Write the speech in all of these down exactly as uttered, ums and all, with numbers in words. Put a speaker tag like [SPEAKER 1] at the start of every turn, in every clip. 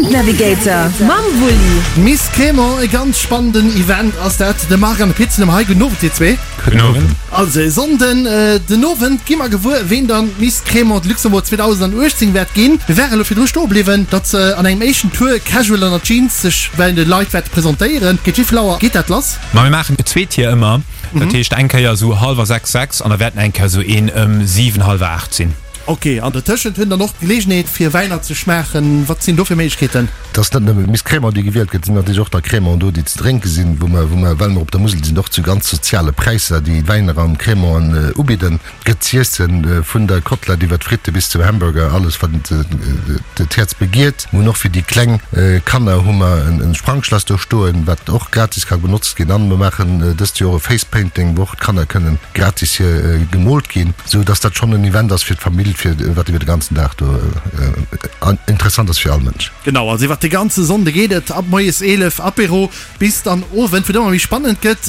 [SPEAKER 1] Event Navigator mam Wulli.
[SPEAKER 2] Miss Crémant, e ganz spannenden Event ass dat. De Marc an de Pit sinn erëm hei. Gudden Owend dir zwee.
[SPEAKER 3] Gudden Owend.
[SPEAKER 2] Also e Sonnden den Owend gi mer gewuer, ween dann d'Miss Crémant de Luxembourg zweedausendachtzéng wäert ginn. Mir ware elo virdru stoe bliwwen, datt se an engem éischten Tour casual an der Jeans sech bei de Leit wäerte presentéieren. Géint wéi vill Auer geet dat lass?
[SPEAKER 3] Ma mir maachen zwee Tier ëmmer. Dat heescht eng Kéier esou hallwer sechs, sechs an da wäerten eng Kéier esou een ëm siwen, hallwer aacht sinn.
[SPEAKER 2] Ok, an dertëschent hunn dann och d'Geleegenheet fir Wäiner ze schmaachen. Wat sinn do fir Méiglechkeeten?
[SPEAKER 4] Et ass net nëmme Miss Crémant déi gewielt gëtt, et sinn natierlech och da Crémant do déi ze drénke sinn, wou mer, wou mer, well mer op der Musel sinn, och zu ganz soziale Präisser déi Wäiner an Crémanten ubidden. Et gëtt z'iessen, vun der Kotlett iwwer d'Fritte bis zum Hamburger, alles wat d'Häerz begiert. Mir hunn och fir déi kleng Kanner hu mer en Sprangschlass do stoen, wat och gratis ka benotzt ginn. An mer maachen dëst Joer e Face Painting, wou och d'Kanner kënnen gratis hier gemoolt ginn, sou dass dat schonn en Event ass fir d'Famill, fir wat iwwer de ganzen Dag do interessant ass fir all Mënsch.
[SPEAKER 2] Genau, also iwwer de ganze Sonnde geet et ab moies eelef Apéro bis dann Owend, wou et ëmmer méi spannend gëtt.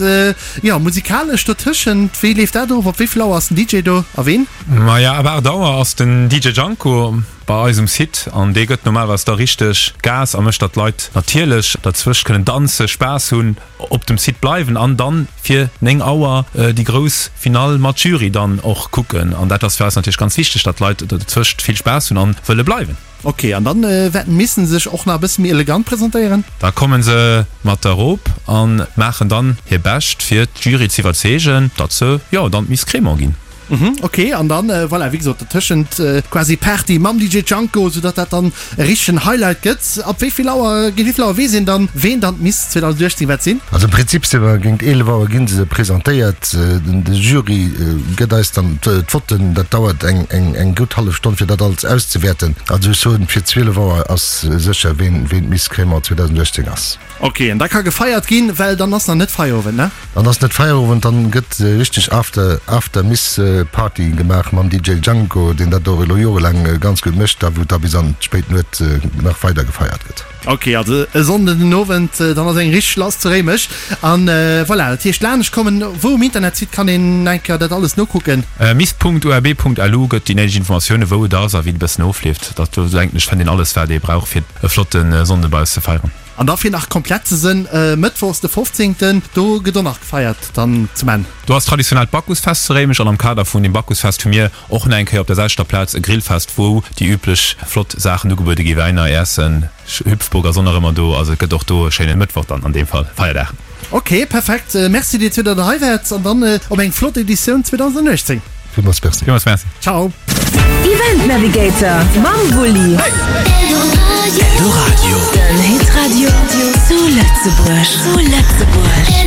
[SPEAKER 2] Jo, musikalesch dotëschent, wéi leeft dat of? Op wéi vill Auer ass den D J do a ween?
[SPEAKER 3] Maja, ab aacht Auer ass den D J Janko bei eis um Site an dee gëtt normalerweis da richteg Gas a mécht, datt d'Leit natierlech derzwëscht kënnen danzen, Spaass hunn, op dem Site bleiwen an dann fir néng Auer déi grouss Finall mat Jury dann och kucken. An dat ass fir eis natierlech ganz wichteg, datt d'Leit dozwëscht vill Spaass hunn an wëlle bleiwen.
[SPEAKER 2] Ok, an dann wäerten d'Missen sech och nach e bësse méi elegant presentéieren?
[SPEAKER 3] Da komme se mat der Rob a maachen dann hir Bescht fir d'Jury z'iwwerzeegen, datt se, jo, dann d'Miss Crémant ginn.
[SPEAKER 2] Mhm, ok, an dann, voilà, wéi gesot, dertëschent quasi Party mam D J Janko, soudatt dat dann e richtegen Highlight gëtt. Ab wéi vill Auer, géint wéi vill Auer weess een dann, ween dann d'Miss zweedausenduechtzéng wäert sinn?
[SPEAKER 4] Also am Prinzip si mer géint eelef Auer gi se presentéiert. De Jury gëtt eis dann d'Votten. Dat dauert eng, eng, eng gutt hallef Stonn, fir dat alles auszewäerten. Also ech soen, fir zwielef Auer ass sécher, ween, ween d'Miss Crémant zweedausenduechtzéng ass.
[SPEAKER 2] Ok, an da ka gefeiert ginn, well dann ass nach net Feierowend, ne?
[SPEAKER 4] Dann ass net Feierowend, dann gëtt richteg After, After Miss Party gemaach mam D J Django, deen dat och elo jorelaang ganz gutt mécht, a wou da bis an d'spéit Nuet nach weider gefeiert gëtt.
[SPEAKER 2] Ok, also e Sonnden den Owend, dann ass eng richteg lass zu Réimech. An voilà, dat heescht laanescht kommen. Wou um Internetsite kann een eng Kéier dat alles nokucken?
[SPEAKER 3] Miss Punkt U R B Punkt L U gëtt déi néideg Informatiounen, wou et ass a wéi et e bëssen ofleeft. Dat do denken ech fënnt een alles wat ee brauch fir e flotte Sonnde bei eis ze feieren.
[SPEAKER 2] An da fir nach komplett ze sënn, mëttwochs de fofzéngten, do gëtt och nach gefeiert dann zum Enn.
[SPEAKER 3] Do ass traditionell d'Bacchusfest zu Réimech an am Kader vun dem Bacchusfest hu mir och nach eng Kéier op der selwechter Plaz e Grillfest, wou déi üblech flott Saachen ugebuede gi, Wäiner, Äessen, Hüpfburg ass och nach ëmmer do. Also et gëtt och do e schéine Mëttwoch dann an deem Fall, Feierdag.
[SPEAKER 2] Ok, perfekt. Merci dir zwee, datt der hei waart an dann op eng flott Editioun zweedausenduechtzéng.
[SPEAKER 4] Villmools Merci.
[SPEAKER 3] Villmools Merci.
[SPEAKER 2] Ciao.
[SPEAKER 1] Event Navigator mam Wulli. Eldoradio. Den Hitradio zu Lëtzebuerg. Zu Lëtzebuerg.